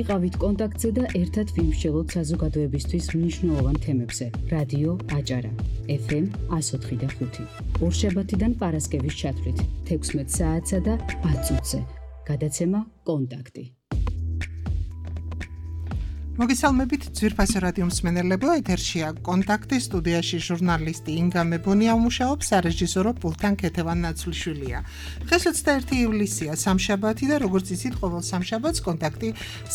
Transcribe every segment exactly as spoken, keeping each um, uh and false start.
იყავით კონტაქტზე და ერთად ვიმსჯელოთ საზოგადოებისთვის მნიშვნელოვან თემებზე. რადიო აჭარა, ეფ ემ one oh three point five. ორშაბათიდან პარასკევის ჩათვლით, თექვსმეტ საათსა და ათ წუთზე. გადაცემა კონტაქტი. მოგესალმებით ძვირფასო რადიო მსმენელებო, ეთერშია კონტაქტი, სტუდიაში ჟურნალისტი ინგა მებონია მუშაობს, სარეჟისორო პულტთან ქეთევან ნაცვლიშვილია. დღეს ოცდაერთი ივლისია, სამშაბათი და როგორც იცით, ყოველ სამშაბათს კონტაქტი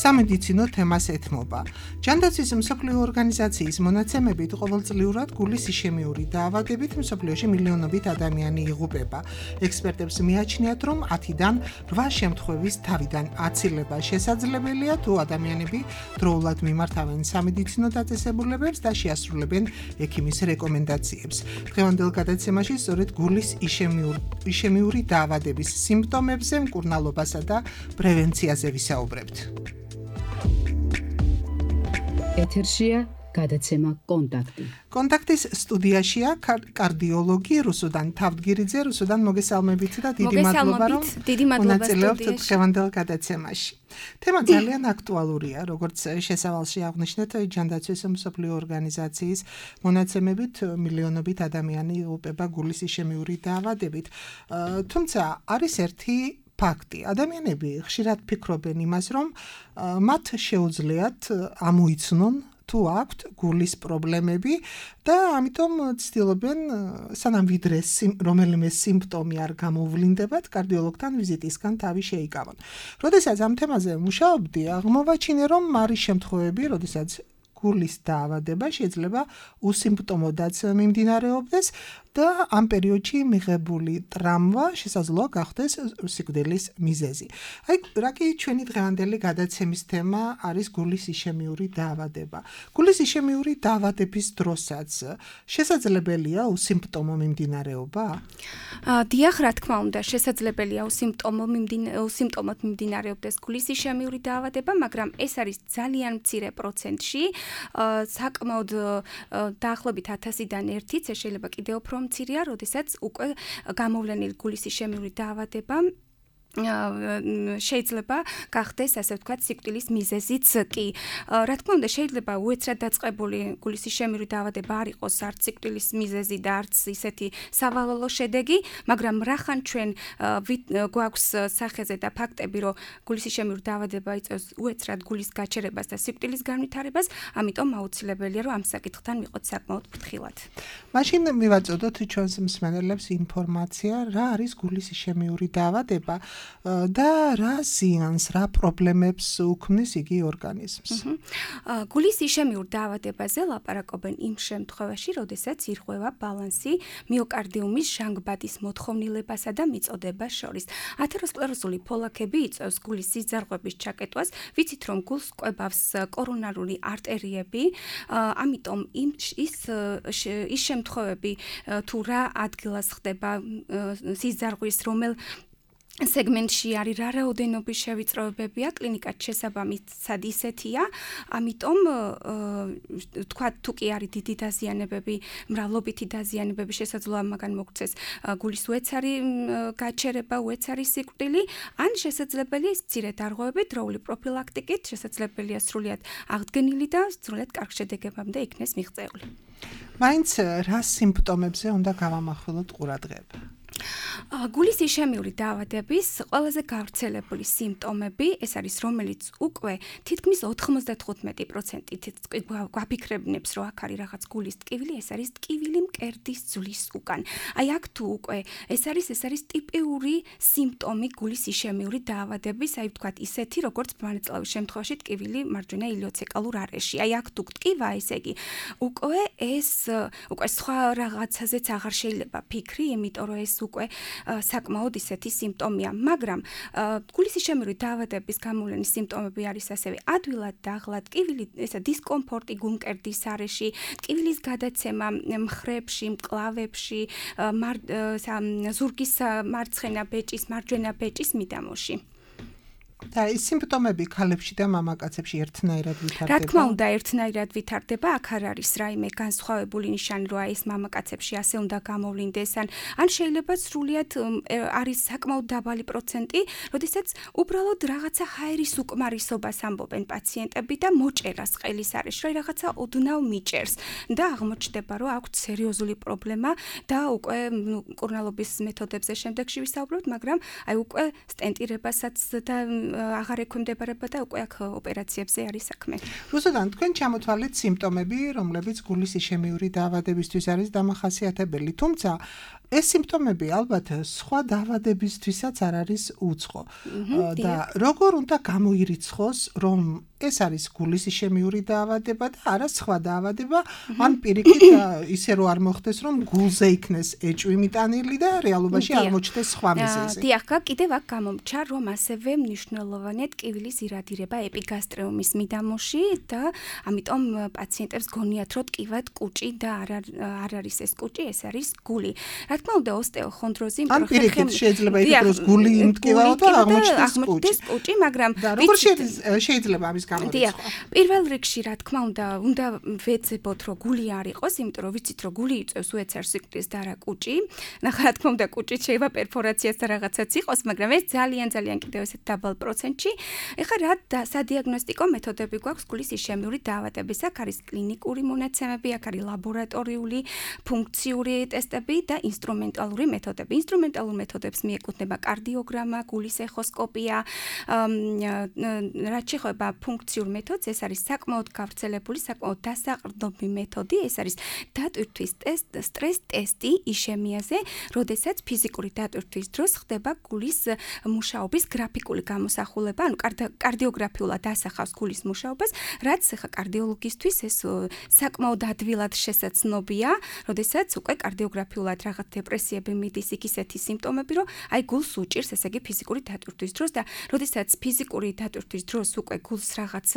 სამედიცინო თემას ეთმობა. ჯანდაცვის მსოფლიო ორგანიზაციის მონაცემებით ყოველწლიურად გულის იშემიური დაავადებით მსოფლიოში მილიონობით ადამიანი იღუპება. ექსპერტებს მიაჩნიათ, რომ ათიდან რვა შემთხვევის თავიდან აცილება შესაძლებელია, თუ ადამიანები დროულად მიმართავენ სამედიცინო დაწესებულებებს და შეასრულებენ ექიმის რეკომენდაციებს. დღევანდელ გადაცემაში სწორედ გულის იშემიური, იშემიური დაავადების სიმპტომებზე, მკურნალობასა და პრევენციაზე ვისაუბრებთ. ეთერშია გადაცემა კონტაქტი. კონტაქტის სტუდიაშია კარდიოლოგი რუსუდან თავდგირიძე. რუსუდან, მოგესალმებით და დიდი მადლობა, რომ მონაწილეობთ დღევანდელ გადაცემაში. თემა ძალიან აქტუალურია, როგორც შესავალში აღნიშნეთ, ჯანდაცვის მსოფლიო ორგანიზაციის მონაცემებით მილიონობით ადამიანი იღუპება გულის იშემიური დაავადებით. თუმცა არის ერთი ფაქტი. ადამიანები ხშირად ფიქრობენ იმას, რომ მათ შეუძლიათ ამოიცნონ თუ აქვთ გულის პრობლემები და ამიტომ ცდილობენ სანამ ვიდრე რომელიმე სიმპტომი არ გამოვლინდებათ, კარდიოლოგთან ვიზიტისგან თავი შეიკავონ. როდესაც ამ თემაზე მუშაობდი, აღმოვაჩინე, რომ არის შემთხვევები, როდესაც გულის დაავადება შეიძლება უსიმპტომოდაც მიმდინარეობდეს და ამ პერიოდში მიღებული ტრამვა შესაძლოა გახდეს სიკვდილის მიზეზი. აი, რაკი ჩვენი დღევანდელი გადაცემის თემა არის გულის იშემიური დაავადება. გულის იშემიური დაავადების დროსაც შესაძლებელია უსიმპტომო მიმდინარეობა? დიახ, რა თქმა უნდა, შესაძლებელია უსიმპტომო უსიმპტომოდ მიმდინარეობდეს გულის იშემიური დაავადება, მაგრამ ეს არის ძალიან მცირე პროცენტში. საკმაოდ დაახლოებით ათასიდან ერთიც, შეიძლება კიდევ უფრო მცირეა, როდესაც უკვე გამოვლენილი გულის იშემიური დაავადება შეიძლება გახდეს, ასე ვთქვათ, სიკვდილის მიზეზიც კი. რა თქმა უნდა, შეიძლება უეცრად დაწყებული გულის იშემიური დაავადება არ იყოს არც სიკვდილის მიზეზი და არც ისეთი სავალალო შედეგი, მაგრამ რახან ჩვენ გვაქვს სახეზე და ფაქტები, რომ გულის იშემიური დაავადება იწვევს უეცრად გულის გაჩერებას და სიკვდილის განვითარებას, ამიტომ აუცილებელია, რომ ამ საკითხთან ვიყოთ საკმაოდ ფრთხილად. მაშინ მივაწოდოთ ჩვენს მსმენელებს ინფორმაცია, რა არის გულის იშემიური დაავადება და რა ზიანს, რა პრობლემებს უქმნის იგი ორგანიზმს. გულის იშემიურ დაავადებაზე ლაპარაკობენ იმ შემთხვევაში, როდესაც ირღვევა ბალანსი მიოკარდიუმის ჟანგბადის მოთხოვნილებასა და მიწოდებას შორის. ათეროსკლეროზული ფოლაქები იწვევს გულის სიძარღვების ჩაკეტვას, ვიცით, რომ გულს კვებავს კორონარული არტერიები, ამიტომ იმ ის ის შემთხვევები, თუ რა ადგილას ხდება სიძარღვის, რომელ სეგმენტში არის, რა რაოდენობის შევიწროებებია, კლინიკად შესაბამისად ისეთია, ამიტომ თქვა თუ კი არის დიდი დაზიანებები, მრავლობითი დაზიანებები, შესაძლოა მაგან მოგცეს გულის უეცარი გაჩერება, უეცარი სიკვდილი, ან შესაძლებელია ის მცირე დარღვევები დროული პროფილაქტიკით, შესაძლებელია სრულიად აღდგენილი და სრულიად კარგ შედეგებამდე იქნეს მიღწეული. მაინც რა სიმპტომებზე უნდა გავამახვილოთ ყურადღება? გულის იშემიური დაავადების ყველაზე გავრცელებული სიმპტომები ეს არის, რომელიც უკვე თითქმის ოთხმოცდათხუთმეტი პროცენტით გვაფიქრებინებს, რომ აქ არის რაღაც გულის ტკივილი, ეს არის ტკივილი მკერდის ძვლის უკან. აი აქ თუ უკვე ეს არის, ეს არის ტიპიური სიმპტომი გულის იშემიური დაავადების, აი ვთქვათ ისეთი, როგორც მარწლავის შემთხვევაში ტკივილი მარჯვენა ილიოცეკალურ არეში. აი აქ თუ ტკივა, ესე იგი, უკვე ეს უკვე სხვა რაღაცაზეც აღარ შეიძლება ფიქრი, იმიტომ რომ ეს უკვე საკმაოდ ისეთი სიმპტომია, მაგრამ გულის იშემიური დაავადების გამოვლენის სიმპტომები არის ასევე ადვილად დაღლა, ტკივილი, ესა დისკომფორტი გულმკერდის არეში, ტკივილის გადაცემა მხრებში, მკლავებში, ზურგის მარცხენა ბეჭის, მარჯვენა ბეჭის მიდამოში. და ის სიმპტომები ქალებში და მამაკაცებში ერთნაირად ვითარდება? რა თქმა უნდა, ერთნაირად ვითარდება, აქ არ არის რაიმე განსხვავებული ნიშანი, რომ აი ეს მამაკაცებში ასე უნდა გამოვლინდეს, ან ან შეიძლება სრულიად არის საკმაოდ დაბალი პროცენტი, როდესაც უბრალოდ რაღაცა ჰაერის უკმარისობას ამბობენ პაციენტები და მოჭერას ყელის არეში, რომ რაღაცა ოდნავ მიჭერს და აღმოჩნდება, რომ აქვს სერიოზული პრობლემა და უკვე მკურნალობის მეთოდებზე შემდეგში ვისაუბრებთ, მაგრამ აი უკვე სტენტირებასაც და აღარ ექვემდებარება და უკვე აქ ოპერაციებზე არის საქმე. რუსუდან, თქვენ ჩამოთვალეთ სიმპტომები, რომლებიც გულის იშემიური დაავადებისთვის არის დამახასიათებელი, თუმცა ეს სიმპტომები ალბათ სხვა დაავადებისთვისაც არ არის უცხო. და როგორ უნდა გამოირიცხოს, რომ ეს არის გულის იშემიური დაავადება და არა სხვა დაავადება, ან პირიქით ისე რომ არ მოხდეს, რომ გულზე იქნეს ეჭვი მიტანილი და რეალობაში აღმოჩნდეს სხვა მიზეზი. დიახ, კიდევ აქ გამომჩა, რომ ასევე მნიშვნელოვანია ტკივილის ირადირება ეპიგასტრეუმის მიდამოში და ამიტომ პაციენტებს გონიათ, რომ ტკივად კუჭი და არ არის ეს კუჭი, ეს არის გული. რა თქმა უნდა, ოსტეოხონდროზი ან პირიქით შეიძლება იყოს გული იმტკივაო და აღმოჩნდეს კუჭი, მაგრამ როგორ შეიძლება ამის დიახ, პირველ რიგში რა თქმა უნდა, უნდა ვეძებოთ, რომ გული არ იყოს, იმიტომ რომ ვიცით, რომ გული იწევს უეცარ სიკვდილს და არა კუჭი. ნახე, რა თქმა უნდა, კუჭით შეიძლება პერფორაციაც და რაღაცაც იყოს, მაგრამ ეს ძალიან ძალიან კიდევ ესეთ დაბალ პროცენტში. ეხლა რა სადიაგნოსტიკო მეთოდები გვაქვს გულის იშემიური დაავადების? აქ არის კლინიკური მონაცემები, აქ არის ლაბორატორიული, ფუნქციური ტესტები და ინსტრუმენტალური მეთოდები. ინსტრუმენტალურ მეთოდებს მიეკუთვნება კარდიოგრამა, გულის ეხოსკოპია, რაც შეეხება ფუნქციურ მეთოდს, ეს არის საკმაოდ გავრცელებული, საკმაოდ დასაყრდნობი მეთოდი, ეს არის დატვირთვის ტესტ, სტრეს ტესტი იშემიაზე, როდესაც ფიზიკური დატვირთვის დროს ხდება გულის მუშაობის გრაფიკული გამოსახულება, ანუ კარდიოგრაფიულად ასახავს გულის მუშაობას, რაც ხა კარდიოლოგისთვის ეს საკმაოდ ადვილად შესაძლოა, როდესაც უკვე კარდიოგრაფიულად რაღაც დეპრესიები მიდის, იქ ისეთი სიმპტომები, რომ აი გულს უჭირს, ესე იგი ფიზიკური დატვირთვის დროს და როდესაც ფიზიკური დატვირთვის დროს უკვე გულს რაღაც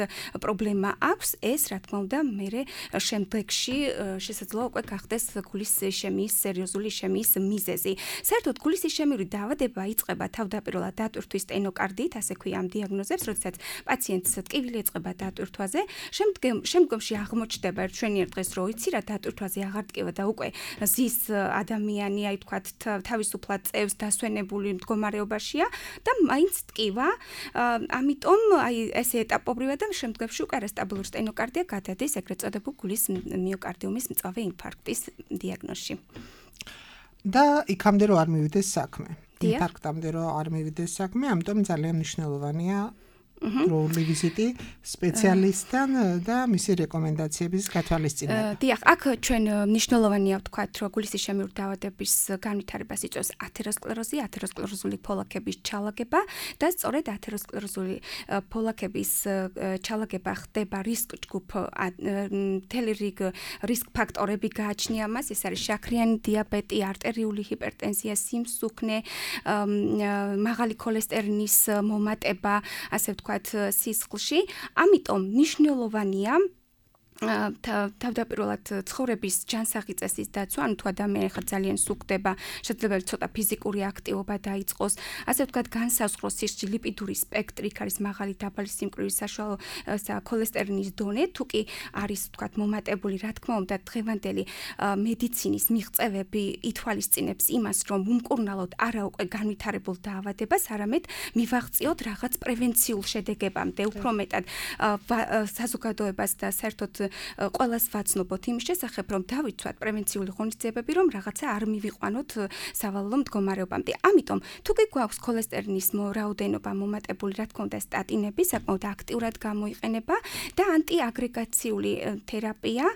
პრობლემა აქვს, ეს რა თქმა უნდა, მერე შემდეგში შესაძლოა უკვე გახდეს გულის იშემიის, სერიოზული იშემიის მიზეზი. საერთოდ გულის იშემიური დაავადება იწყება თავდაპირველად დატვირთვის სტენოკარდიით, ასე ქვია ამ დიაგნოზებს, როდესაც პაციენტს ტკივილი ეწყება დატვირთვაზე, შემდგომში აღმოჩნდება ერთშვენიერ დღეს, რომ იცი რა დატვირთვაზე აღარ ტკივა და უკვე ზის ადამიანი, აი თქვათ, თავისუფლად წევს დასვენებული მდგომარეობაშია და მაინც ტკივა, ამიტომ აი ესე ეტაპობრივად და შემდგომში უკვე არასტაბილური სტენოკარდია გადადის ეგრეთ წოდებულ გულის მიოკარდიუმის მწვავე ინფარქტის დიაგნოზში. და იქამდე რომ არ მივიდეს საქმე. ინფარქტამდე რომ არ მივიდეს საქმე, ამიტომ ძალიან მნიშვნელოვანია დროული ვიზიტი სპეციალისტთან და მისი რეკომენდაციების გათვალისწინება. დიახ, აქ ჩვენ მნიშვნელოვანია ვთქვათ, რომ გულის იშემიური დაავადების განვითარებას იწვევს ათეროსკლეროზი, ათეროსკლეროზული ფოლაკების ჩალაგება და სწორედ ათეროსკლეროზული ფოლაკების ჩალაგება ხდება რისკ ჯგუფ მთელი რიგ რისკ ფაქტორები გააჩნია მას, ეს არის შაქრიანი დიაბეტი, არტერიული ჰიპერტენზია, სიმსუქნე, მაღალი ქოლესტერინის მომატება, ასე ვთქვათ სისხლში, ამიტომ მნიშვნელოვანია თავდაპირველად ცხოვრების ჯანსაღი წესის დაცვა, ანუ თუ ადამიანი ხარ ძალიან სუქდება, შეიძლება ცოტა ფიზიკური აქტივობა დაიწყოს, ასე ვთქვათ, განსაზღვროს სისხლში ლიპიდური სპექტრი, არის მაღალი დაბალი სიმკვრივის საშუალო ქოლესტერინის დონე, თუ კი არის ვთქვათ მომატებული, რა თქმა უნდა, დღევანდელი მედიცინის მიღწევები ითვალისწინებს იმას, რომ უმკურნალოდ არა უკვე განვითარებულ დაავადებას, არამედ მივაღწიოთ რაღაც პრევენციულ შედეგებამდე, უფრო მეტად საზოგადოებას და საერთოდ ყველას ვაცნობოთ იმის შესახებ, რომ დავიცვათ პრევენციული ღონისძიებები, რომ რაღაცა არ მივიყვანოთ სავალალო მდგომარეობამდე. ამიტომ, თუ კი გვაქვს ქოლესტერინის რაოდენობა მომატებული, რა თქმა უნდა, სტატინები საკმაოდ აქტიურად გამოიყენება და ანტიაგრეგაციული თერაპია,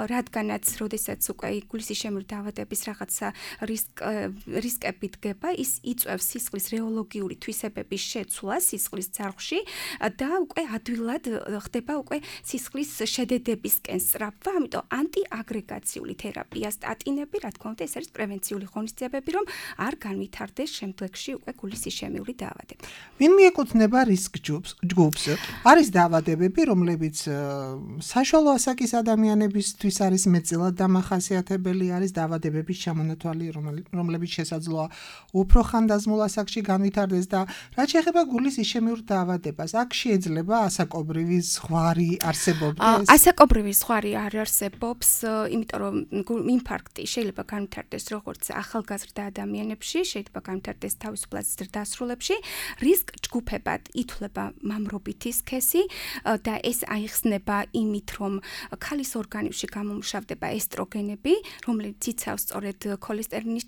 რადგანაც, როდესაც უკვე გულის იშემიური დაავადების რაღაცა რისკები დგება, ის იწვევს სისხლის რეოლოგიური თვისებების შეცვლას სისხლის ძარღვში და უკვე ადვილად ხდება უკვე სისხლის შედეგი ქმედებისკენ სწრაფვა, ამიტომ ანტიაგრეგაციული თერაპია, სტატინები, რა თქმა უნდა, ეს არის პრევენციული ღონისძიებები, რომ არ განვითარდეს შემდგომში უკვე გულის იშემიური დაავადება. ვინ მიეკუთვნება რისკ ჯგუფს? არის დაავადებები, რომლებიც საშუალო ასაკის ადამიანებისთვის არის მეტწილად დამახასიათებელი, არის დაავადებების ჩამონათვალი, რომლებიც შესაძლოა უფრო ხანდაზმულ ასაკში განვითარდეს და რაც შეეხება გულის იშემიურ დაავადებას, აქ შეიძლება ასაკობრივი ზღვარი არსებობდეს? ასაკობრივი ზღვარი არ არსებობს, იმიტომ რომ ინფარქტი შეიძლება განვითარდეს როგორც ახალგაზრდა ადამიანებში, შეიძლება განვითარდეს თავისუფლად ზრდასრულებში, რისკ ჯგუფებად ითვლება მამრობითი სქესი და ეს აიხსნება იმით, რომ ქალის ორგანიზმში გამომუშავდება ესტროგენები, რომელიც იცავს სწორედ ქოლესტერინის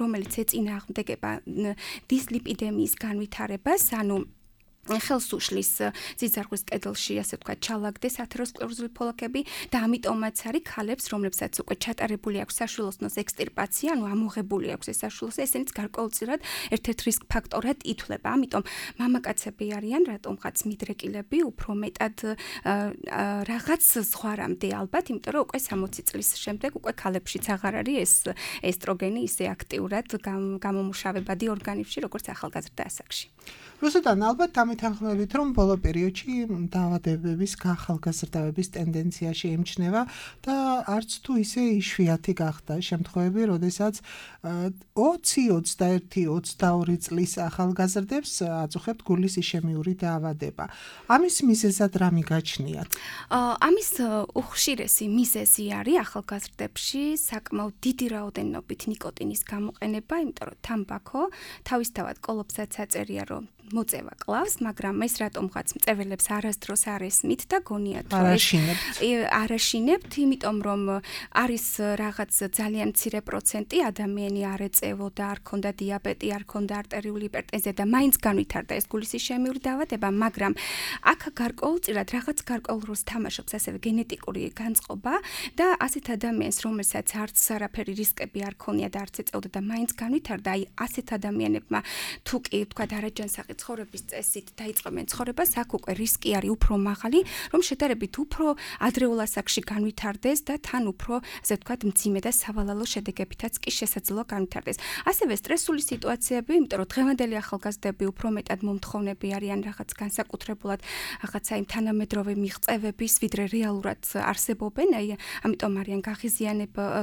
რომელიც ეწინააღმდეგება დისლიპიდემიის განვითარებას, ანუ ხელს უშლის ძიძარღვის კედელში, ასე ვთქვათ, ჩალაგდეს ათეროსკლეროზული ფოლაკები და ამიტომაც არის ქალებს, რომლებსაც უკვე ჩატარებული აქვს საშვილოსნოს ექსტირპაცია, ანუ ამოღებული აქვს ეს საშვილოსნო, ესენიც გარკვეულწილად ერთ-ერთ რისკ ფაქტორად ითვლება. ამიტომ მამაკაცები არიან, რატომღაც მიდრეკილები, უფრო მეტად რაღაც ზღვარამდე ალბათ, იმიტომ რომ უკვე სამოცი წლის შემდეგ უკვე ქალებშიც აღარ არის ეს ესტროგენი ისე აქტიურად გამომუშავებადი ორგანიზმში, როგორც ახალგაზრდა ასაკში. რუსუდან ალბათ ამითანხმებით, რომ ბოლო პერიოდში დაავადებების გახალგაზრდავების ტენდენცია შეიმჩნევა და არც თუ ისე იშვიათი გახდა შემთხვევები, როდესაც ოცი, ოცდაერთი, ოცდაორი წლის ახალგაზრდებს აწუხებთ გულის იშემიური დაავადება. ამის მიზეზად რა მიგაჩნიათ? ამის უხშირესი მიზეზი არის ახალგაზრდებში საკმაოდ დიდი რაოდენობით ნიკოტინის გამოყენება, იმიტომ რომ თამბაქო თავისთავად კოლოფსაც აწერია, რომ მოწევა კლავს, მაგრამ ეს რატომღაც მწეველებს არასდროს არ ესმით და გონიათ რომ არაშინებთ, იმიტომ რომ არის რაღაც ძალიან მცირე პროცენტი ადამიანი არ ეწევოდა, არ ქონდა დიაბეტი, არ ქონდა არტერიული ჰიპერტენზია და მაინც განვითარდა ეს გულის იშემიური დაავადება, მაგრამ აქ გარკვეულწილად რაღაც გარკვეულ როლს თამაშობს ასევე გენეტიკური განწყობა და ასეთ ადამიანს, რომელსაც არც არაფერი რისკები არ ქონია და არც ეწევოდა და მაინც განვითარდა, აი ასეთ ადამიანებმა თუ კი თქვა არაჯანსაღი ცხოვრების წესით დაიწყებენ ცხოვრებას, აქ უკვე რისკი არის უფრო მაღალი, რომ შედარებით უფრო ადრეულ ასაკში განვითარდეს და თან უფრო, ასე ვთქვათ, მძიმე და სავალალო შედეგებითაც კი შესაძლოა განვითარდეს. ასევე სტრესული სიტუაციები, იმიტომ რომ დღევანდელი ახალგაზრდები უფრო მეტად მომთხოვნები არიან რაღაც განსაკუთრებულად რაღაცა იმ თანამედროვე მიღწევების, ვიდრე რეალურად არსებობენ, აი ამიტომ არიან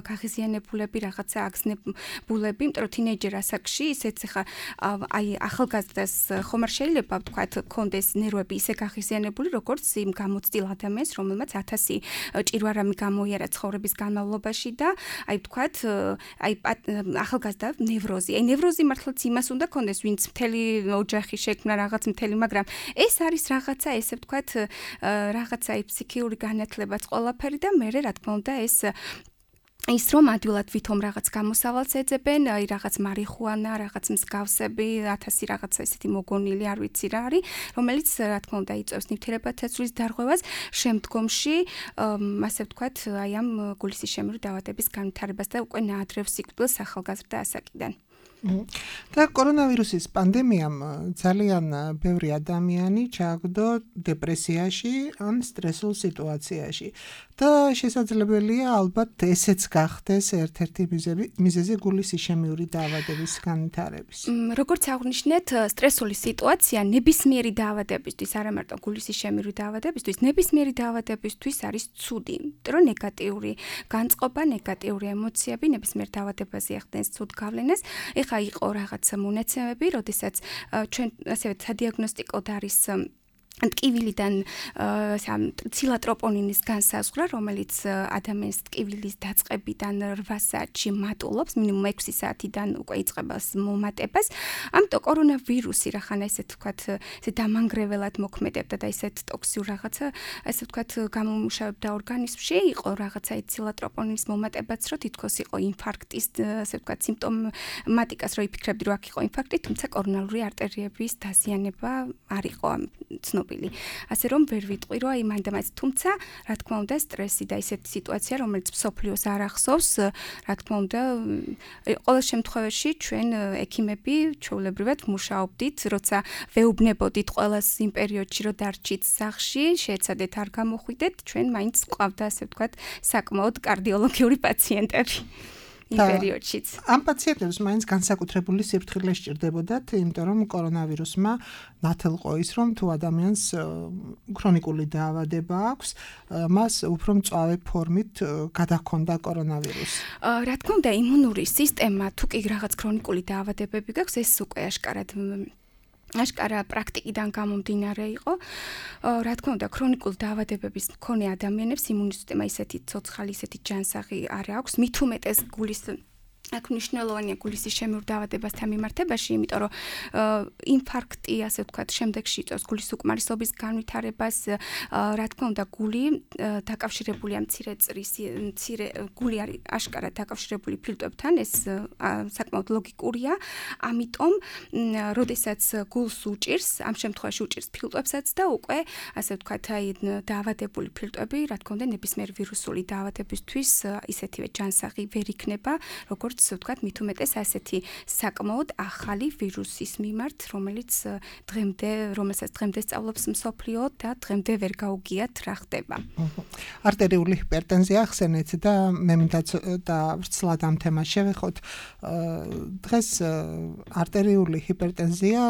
გაღიზიანებულები, რაღაცა აგზნებულები, იმიტომ რომ თინეიჯერ ასაკში ისეც ხა აი ახალგაზრდას ხომ არ შეიძლება ვთქვათ კონდეს ნერვები ისე გაღიზიანებული როგორც იმ გამოცდილ ადამიანს რომელმაც ათასი ჭირვარამი გამოიარა ცხოვრების განმავლობაში და აი ვთქვათ აი ახალგაზრდა ნევროზი აი ნევროზი მართლაც იმას უნდა კონდეს ვინც მთელი ოჯახი შექმნა რაღაც მთელი მაგრამ ეს არის რაღაცა ესე ვთქვათ რაღაცა აი ფსიქიური განათლებაც ყველაფერი და მე რა თქმა უნდა ეს ის რომ ადვილად ვითომ რაღაც გამოსავალს ეძებენ, აი რაღაც მარიხუანა, რაღაც მსგავსები, ათასი რაღაცა ისეთი მოგონილი არ ვიცი რა არის, რომელიც რა თქმა უნდა იწვევს ნივთიერებათა ცვლის დარღვევას, შემდგომში ასე ვთქვათ, აი ამ გულის იშემიური დაავადების განვითარებას და უკვე ნაადრევ სიკვდილს ახალგაზრდა ასაკიდან. და კორონავირუსის პანდემიამ ძალიან ბევრი ადამიანი ჩააგდო დეპრესიაში ან სტრესულ სიტუაციაში და შესაძლებელია ალბათ ესეც გახდეს ერთ-ერთი მიზეზი გულის იშემიური დაავადების განვითარების. როგორც აღნიშნეთ, სტრესული სიტუაცია ნებისმიერი დაავადებისთვის, არა მარტო გულის იშემიური დაავადებისთვის, ნებისმიერი დაავადებისთვის არის ცუდი, რომ ნეგატიური განწყობა, ნეგატიური ემოციები ნებისმიერ დაავადებაზე ახდენს ცუდ გავლენას. ეხა იყო რაღაც მონაცემები, როდესაც ჩვენ ასევე სადიაგნოსტიკოდ არის ტკივილიდან ცილა-ტროპონინის განსაზღვრა, რომელიც ადამიანის ტკივილის დაწყებიდან რვა საათში მატულობს, მინიმუმ ექვსი საათიდან უკვე იწყება მომატებას. ამიტომ კორონავირუსი რახან ესე ვთქვათ, ესე დამანგრეველად მოქმედებდა და ესეთ ტოქსიურ რაღაცა, ესე ვთქვათ, გამომუშავებდა ორგანიზმში, იყო რაღაცა ცილა-ტროპონინის მომატებაც, რომ თითქოს იყო ინფარქტის, ესე ვთქვათ, სიმპტომატიკას, რომ იფიქრებდი, რომ აქ იყო ინფარქტი, თუმცა კორონალური არტერიების დაზიანება არ იყო ცნობილი. ცნობილი. ასე რომ ვერ ვიტყვი, რომ აი მაინდა-მაინც, თუმცა, რა თქმა უნდა, სტრესი და ისეთი სიტუაცია, რომელიც მსოფლიოს არ ახსოვს, რა თქმა უნდა, ყოველ შემთხვევაში ჩვენ ექიმები ჩვეულებრივად მუშაობდით, როცა ვეუბნებოდით ყველას იმ პერიოდში, რომ დარჩით სახლში, შეეცადეთ არ გამოხვიდეთ, ჩვენ მაინც ყავდა, ასე ვთქვათ, საკმაოდ კარდიოლოგიური პაციენტები. იმ პერიოდშიც. ამ პაციენტებს მაინც განსაკუთრებული სიფრთხილე სჭირდებოდათ, იმიტომ რომ კორონავირუსმა ნათელყო ის, რომ თუ ადამიანს ქრონიკული დაავადება აქვს, მას უფრო მწვავე ფორმით გადაჰქონდა კორონავირუსი. რა თქმა უნდა, იმუნური სისტემა, თუ კი რაღაც ქრონიკული დაავადებები გაქვს, ეს უკვე აშკარად აშკარა პრაქტიკიდან გამომდინარე იყო. რა თქმა უნდა, ქრონიკულ დაავადებების მქონე ადამიანებს იმუნური სისტემა ისეთი ცოცხალი, ისეთი ჯანსაღი არ აქვს, მით უმეტეს გულის აქ მნიშვნელოვანია გულის ისჩემიურ დაავადებასთან მიმართებაში, იმიტომ რომ ინფარქტი, ასე ვთქვათ, შემდეგში იწვევს გულის უკმარისობის განვითარებას, რა თქმა უნდა, გული დაკავშირებულია მცირე წრის, მცირე გული არის აშკარად დაკავშირებული ფილტვებთან, ეს საკმაოდ ლოგიკურია, ამიტომ, როდესაც გულს უჭირს, ამ შემთხვევაში უჭირს ფილტვებსაც და უკვე, ასე ვთქვათ, აი დაავადებული ფილტვები, რა თქმა უნდა, ნებისმიერ ვირუსული დაავადებისთვის ისეთივე ჯანსაღი ვერ იქნება, როგორც ვთქვათ, მით უმეტეს ასეთი საკმაოდ ახალი ვირუსის მიმართ, რომელიც დღემდე, რომელსაც დღემდე სწავლობს მსოფლიო და დღემდე ვერ გაუგიათ რა ხდება. არტერიული ჰიპერტენზია ახსენეთ და მე მინდა და ვრცლად ამ თემას შევეხოთ. დღეს არტერიული ჰიპერტენზია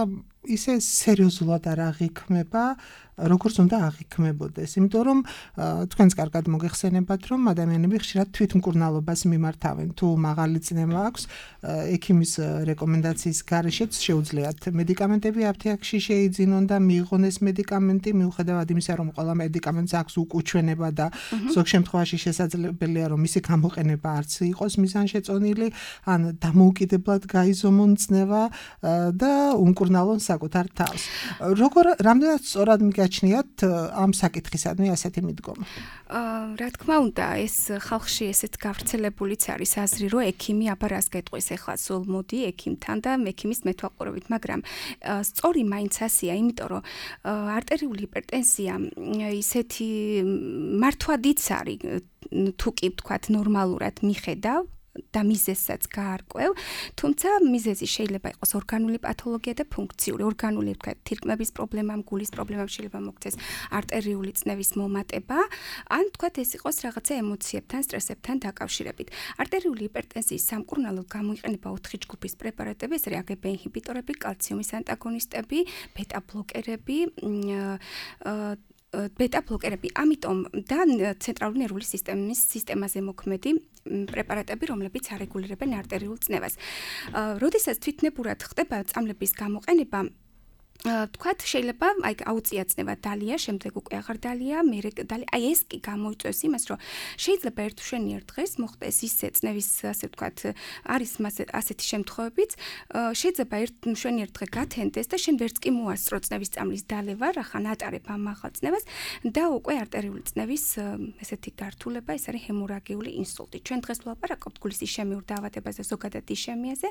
ისე სერიოზულად არ აღიქმება, როგორც უნდა აღიქმებოდეს, იმიტომ რომ თქვენს კარგად მოგეხსენებათ, რომ ადამიანები ხშირად თვითმკურნალობას მიმართავენ. თუ მაღალი წნევა აქვს, ექიმის რეკომენდაციის გარეშეც შეუძლიათ მედიკამენტები აფთიაქში შეიძინონ და მიიღონ ეს მედიკამენტი, მიუხედავად იმისა, რომ ყველა მედიკამენტს აქვს უკუჩვენება და ზოგ შემთხვევაში შესაძლებელია, რომ მისი გამოყენება არც იყოს მიზანშეწონილი, ან დამოუკიდებლად გაიზომონ წნევა და უმკურნალონ საკუთარ თავს. როგორ რამდენად სწორად მიგაჩნიათ ამ საკითხისადმი ასეთი მიდგომა? რა თქმა უნდა, ეს ხალხში ესეთ გავრცელებულიც არის აზრი, რომ ექიმი აბა რას გეტყვის ახლა სულ მოდი ექიმთან და ექიმის მეთვალყურებით, მაგრამ სწორი მაინც ასეა, იმიტომ რომ არტერიული ჰიპერტენზია ისეთი მართვადიც არის, თუ კი ვთქვათ ნორმალურად მიხედავ და მიზეზსაც გაარკვევ, თუმცა მიზეზი შეიძლება იყოს ორგანული პათოლოგია და ფუნქციური. ორგანული, ვთქვათ, თირკმების პრობლემა, გულის პრობლემა შეიძლება მოქცეს არტერიული წნევის მომატება, ან ვთქვათ, ეს იყოს რაღაცა ემოციებთან, სტრესებთან დაკავშირებით. არტერიული ჰიპერტენზიის სამკურნალოდ გამოიყენება ოთხი ჯგუფის პრეპარატები, ეს არის აგ-ბ ინჰიბიტორები, კალციუმის ანტაგონისტები, ბეტა ბლოკერები, ბეტა ბლოკერები, ამიტომ და ცენტრალური ნერვული სისტემის სისტემაზე მოქმედი პრეპარატები, რომლებიც არეგულირებენ არტერიულ წნევას. როდესაც თვითნებურად ხდება წამლების გამოყენება, ვთქვათ, შეიძლება აი აუწია წნევა დალია, შემდეგ უკვე აღარ დალია, მერე დალია. აი ეს კი გამოიწვევს იმას, რომ შეიძლება ერთ მშვენიერ დღეს მოხდეს ისე წნევის, ასე ვთქვათ, არის ასეთი შემთხვევებიც, შეიძლება ერთ მშვენიერ დღე გათენდეს და შენ ვერც კი მოასწრო წნევის წამლის დალევა, რახან ატარებ ამ მაღალ წნევას და უკვე არტერიული წნევის ესეთი გართულება, ეს არის ჰემორაგიული ინსულტი. ჩვენ დღეს ვლაპარაკობთ გულის ისჩემიურ დაავადებაზე, ზოგადად ისჩემიაზე,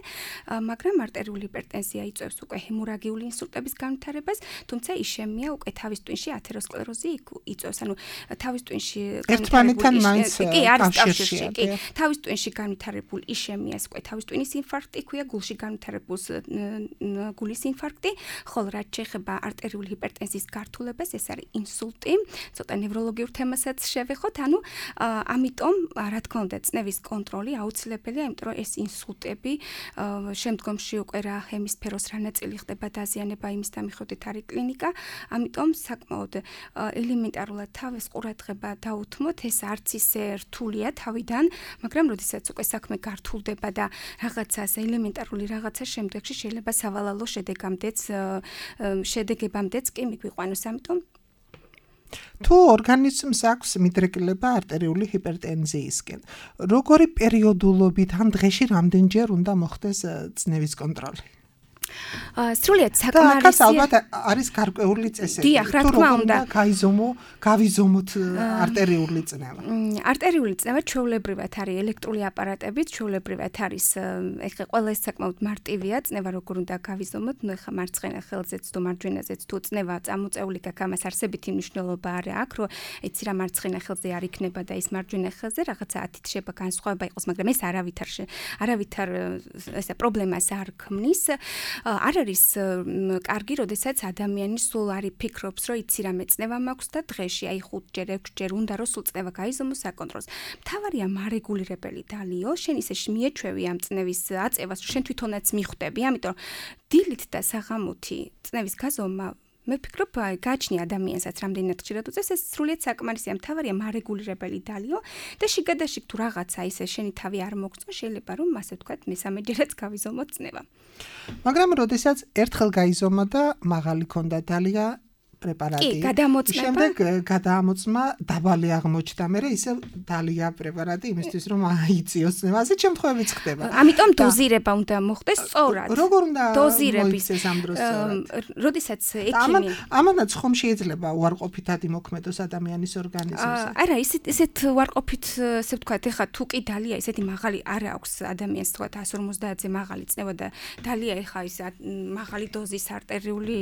მაგრამ არტერიული ჰიპერტენზია იწვევს უკვე ჰემორაგიული ინსულტების განვითარებას, თუმცა ისჩემია უკვე თავის ტვინში ათეროსკლეროზი იწვევს, ანუ თავის ტვინში ერთმანეთთან მაინც კი არის კავშირში, კი, თავის ტვინში განვითარებულ ისჩემიას უკვე თავის ტვინის ინფარქტი ქვია, გულში განვითარებულს გულის ინფარქტი, ხოლო რაც შეეხება არტერიული ჰიპერტენზიის გართულებას, ეს არის ინსულტი, ცოტა ნევროლოგიურ თემასაც შევეხოთ, ანუ ამიტომ, რა თქმა უნდა, წნევის კონტროლი აუცილებელია, იმიტომ რომ ეს ინსულტები შემდგომში უკვე რა ჰემისფეროს რა ნაწილი ხდება დაზიანება იმის დამიხოდით არის კლინიკა, ამიტომ საკმაოდ ელემენტარულად თავის ყურადღება დაუთმოთ, ეს არც ისე რთულია თავიდან, მაგრამ როდესაც უკვე საქმე გართულდება და რაღაცას ელემენტარული რაღაცა შემდეგში შეიძლება სავალალო შედეგამდეც შედეგებამდეც კი მიგვიყვანოს, ამიტომ თუ ორგანიზმს აქვს მიდრეკილება არტერიული ჰიპერტენზიისკენ, როგორი პერიოდულობით ან დღეში რამდენჯერ უნდა მოხდეს წნევის კონტროლი? სრულიად საკმარისია. და ალბათ არის გარკვეული წესები. დიახ, რა თქმა უნდა. გაიზომო, გავიზომოთ არტერიული წნევა. არტერიული წნევა ჩვეულებრივად არის ელექტრული აპარატებით, ჩვეულებრივად არის ეხლა ყველა ეს საკმაოდ მარტივია, წნევა როგორ უნდა გავიზომოთ, ნუ ეხლა მარცხენა ხელზეც თუ მარჯვენაზეც თუ წნევა წამოწეული გაქვს, ამას არსებითი მნიშვნელობა არ აქვს, რომ იცი რა მარცხენა ხელზე არ იქნება და ის მარჯვენა ხელზე რაღაცა ათით შეიძლება განსხვავება იყოს, მაგრამ ეს არავითარ არავითარ ესა პრობლემას არ ქმნის. არ არის კარგი, როდესაც ადამიანი სულ არის ფიქრობს, რომ იცი რა მეწნევა მაქვს და დღეში აი ხუთჯერ, ექვსჯერ უნდა რომ სულ წნევა გაიზომოს საკონტროლს. მთავარია მარეგულირებელი დალიო, შენ ისე მიეჩვევი ამ წნევის აწევას, რომ შენ თვითონაც მიხვდები, ამიტომ დილით და საღამოთი წნევის გაზომა მე ვფიქრობ, გააჩნია ადამიანსაც რამდენად ხშირად უწევს, ეს სრულიად საკმარისია, მთავარია მარეგულირებელი დალიო და შიგადაშიგ თუ რაღაცა ისე შენი თავი არ მოგწონს, შეიძლება რომ ასე ვთქვათ, მესამეჯერაც გავიზომოთ წნევა. მაგრამ როდესაც ერთხელ გაიზომა და მაღალი ქონდა დალია პრეპარატი. კი, გადამოწმება. შემდეგ გადაამოწმა დაბალი აღმოჩნდა, მერე ისე დალია პრეპარატი იმისთვის რომ აიწიოს წნევა. ასეთ შემთხვევებიც ხდება. ამიტომ დოზირება უნდა მოხდეს სწორად. როგორ უნდა დოზირების ამ დროს სწორად? როდესაც ექიმი ამანაც ხომ შეიძლება უარყოფითად იმოქმედოს ადამიანის ორგანიზმზე. არა, ისეთ ისეთ უარყოფით, ასე ვთქვათ, ეხლა თუ კი დალია ისეთი მაღალი არ აქვს ადამიანს, თქვათ εκατს ორმოცდაათზე მაღალი წნევა და დალია ეხლა ის მაღალი დოზის არტერიული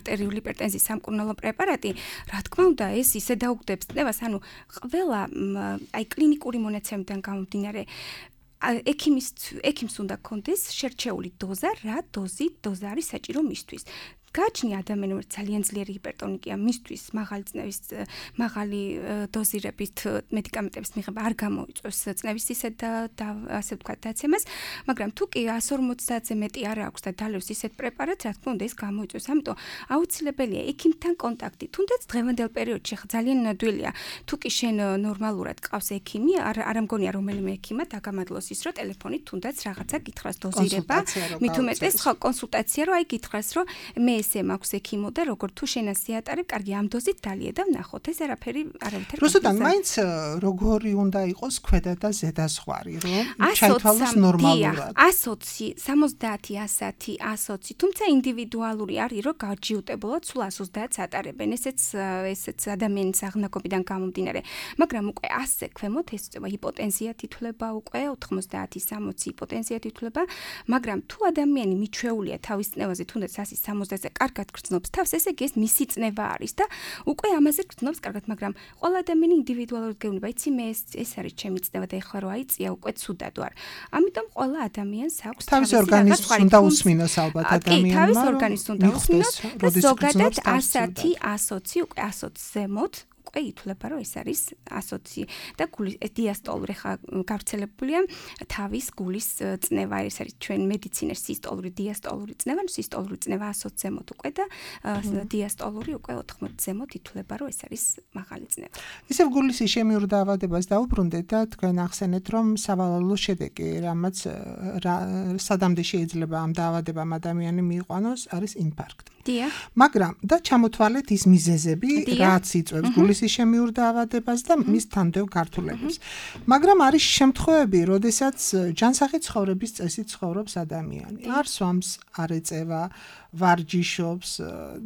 არტერიული ჰიპერტენზიის სამკურნალო პრეპარატი, რა თქმა უნდა, ეს ისე დაუგდებს წნევას, ანუ ყველა აი კლინიკური მონაცემიდან გამომდინარე ექიმის ექიმს უნდა კონდეს შერჩეული დოზა, რა დოზი დოზა არის საჭირო მისთვის. გააჩნია ადამიანი, რომელიც ძალიან ძლიერი ჰიპერტონიკია, მისთვის მაღალი წნევის მაღალი დოზირებით მედიკამენტების მიღება არ გამოიწვევს წნევის ისეთ და ასე ვთქვათ დაცემას, მაგრამ თუ კი εκατს ორმოცდაათზე მეტი არ აქვს და დალევს ისეთ პრეპარატს, რა თქმა უნდა, ეს გამოიწვევს. ამიტომ აუცილებელია ექიმთან კონტაქტი. თუნდაც დღევანდელ პერიოდში ხა ძალიან ნადვილია. თუ კი შენ ნორმალურად ყავს ექიმი, არ არ მგონია რომელიმე ექიმა დაგამადლოს ის, რომ ტელეფონით თუნდაც რაღაცა გითხრას დოზირება, მით უმეტეს ხო კონსულტაცია, რომ აი გითხრას, რომ მე ესე მაქვს ექიმო და როგორ თუ შენ ასე ატარებ, კარგი ამ დოზით დალია და ვნახოთ. ეს არაფერი არავითარ. რუსუდან მაინც როგორი უნდა იყოს ქვედა და ზედა ზღვარი, რომ ჩაითვალოს ნორმალურად. εκατს ოცი, სამოცდაათი, ასათი, εκατს ოცი, თუმცა ინდივიდუალური არის, რომ გაჯიუტებულად სულ εκατს ოცდაათს ატარებენ. ესეც ესეც ადამიანის აღნაგობიდან გამომდინარე. მაგრამ უკვე ასზე ქვემოთ ეს წება ჰიპოტენზია თითვლება უკვე ოთხმოცდაათი, სამოცი ჰიპოტენზია თითვლება, მაგრამ თუ ადამიანი მიჩვეულია თავის წნევაზე, თუნდაც ასი სამოცდაათზე კარგად გრძნობს თავს, ესე იგი ეს მისი წნევა არის და უკვე ამაზე გრძნობს კარგად, მაგრამ ყველა ადამიანი ინდივიდუალურად გეუბნება, იცი მე ეს ეს არის ჩემი წნევა და ეხლა რო აიწია უკვე ცუდად ვარ. ამიტომ ყველა ადამიანს აქვს თავის ორგანიზმს უნდა უსმინოს ალბათ ადამიანმა. კი, თავის ორგანიზმს უნდა usმინოს და ზოგადად ასათი, εκατს ოცი, უკვე εκατს ოცი ზემოთ უკვე ითვლება, რომ ეს არის εκατს ოცი და გულის დიასტოლური ხა გავრცელებულია თავის გულის წნევა, ეს არის ჩვენ მედიცინაში სისტოლური, დიასტოლური წნევა, სისტოლური წნევა εκατს ოცი ზემოთ უკვე და დიასტოლური უკვე ოთხმოცი ზემოთ ითვლება, რომ ეს არის მაღალი წნევა. ისევ გულის იშემიურ დაავადებას დაუბრუნდეთ და თქვენ ახსენეთ, რომ სავალალო შედეგი, რამაც სადამდე შეიძლება ამ დაავადებამ ადამიანი მიიყვანოს, არის ინფარქტი. დიახ. მაგრამ და ჩამოთვალეთ ის მიზეზები, რაც იწვევს გულის იშემიურ დაავადებას და მის თანდეო გართულებას. მაგრამ არის შემთხვევები, როდესაც ჯანსაღი ცხოვრების წესით ცხოვრობს ადამიანი. არ სვამს, არ ეწევა, ვარჯიშობს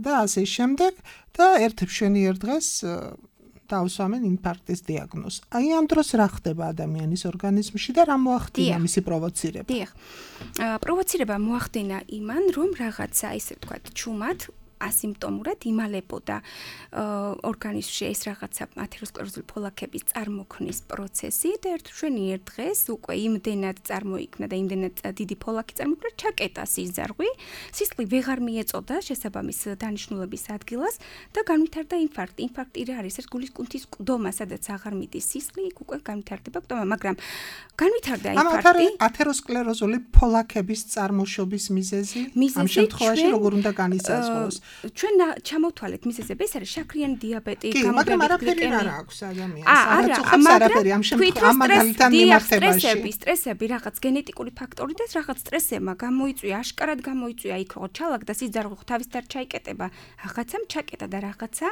და ასე შემდეგ და ერთ მშვენიერ დღეს დაუსვამენ ინფარქტის დიაგნოზს. აი ამ დროს რა ხდება ადამიანის ორგანიზმში და რა მოახდინა მისი პროვოცირება? დიახ. პროვოცირება მოახდინა იმან, რომ რაღაცა ისე ვთქვათ, ჩუმად ასიმპტომურად იმალებოდა ორგანიზმში ეს რაღაცა ათეროსკლეროზული ფოლაკების წარმოქმნის პროცესი და ერთ მშვენიერ დღეს უკვე იმდენად წარმოიქმნა და იმდენად დიდი ფოლაკი წარმოიქმნა, ჩაკეტა სიზარღვი, სისხლი ვეღარ მიეწოდა შესაბამის დანიშნულების ადგილას და განვითარდა ინფარქტი. ინფარქტი რა არის? ეს გულის კუნთის ყდომა, სადაც აღარ მიდის სისხლი, იქ უკვე განვითარდება ყდომა, მაგრამ განვითარდა ინფარქტი. ამ ათეროსკლეროზული ფოლაკების წარმოშობის მიზეზი ამ შემთხვევაში როგორ უნდა განისაზღვროს? ჩვენ ჩამოვთვალეთ მიზეზები, ეს არის შაქრიანი დიაბეტი, გამოგვებით გლიკემია. აქვს ადამიანს, არაცოხობს არაფერი ამ შემთხვევაში ამ მაგალითთან მიმართებაში. სტრესები, სტრესები, რაღაც გენეტიკური ფაქტორი და რაღაც სტრესებმა გამოიწვია, აშკარად გამოიწვია იქ რო ჩალაგდა სიძარღვე თავის დარ ჩაიკეტება, რაღაცამ ჩაკეტა და რაღაცა